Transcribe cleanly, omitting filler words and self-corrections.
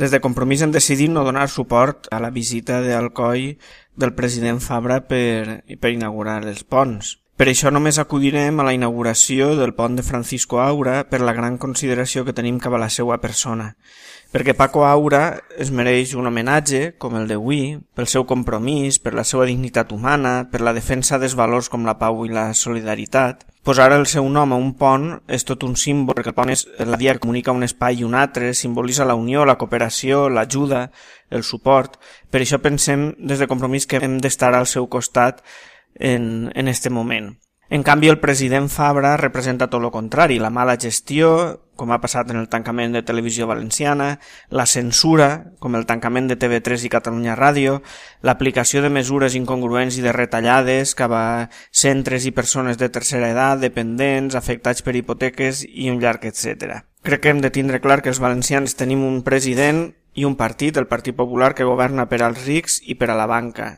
Des de Compromís hem decidit no donar suport a la visita d'Alcoi del president Fabra per inaugurar els ponts. Per això només acudirem a la inauguració del pont de Francisco Aura per la gran consideració que tenim cap a la seva persona. Perquè Paco Aura es mereix un homenatge, com el d'avui, pel seu compromís, per la seva dignitat humana, per la defensa dels valors com la pau i la solidaritat. Posar el seu nom a un pont és tot un símbol, perquè el pont és la via que comunica un espai i un altre, simbolitza la unió, la cooperació, l'ajuda, el suport. Per això pensem des de Compromís que hem d'estar al seu costat en este moment. En canvi, el president Fabra representa tot el contrari, la mala gestió, com ha passat en el tancament de Televisió Valenciana, la censura, com el tancament de TV3 i Catalunya Ràdio, l'aplicació de mesures incongruents i de retallades cap a centres i persones de tercera edat, dependents, afectats per hipoteques i un llarg etcètera. Crec que hem de tindre clar que els valencians tenim un president i un partit, el Partit Popular, que governa per als rics i per a la banca,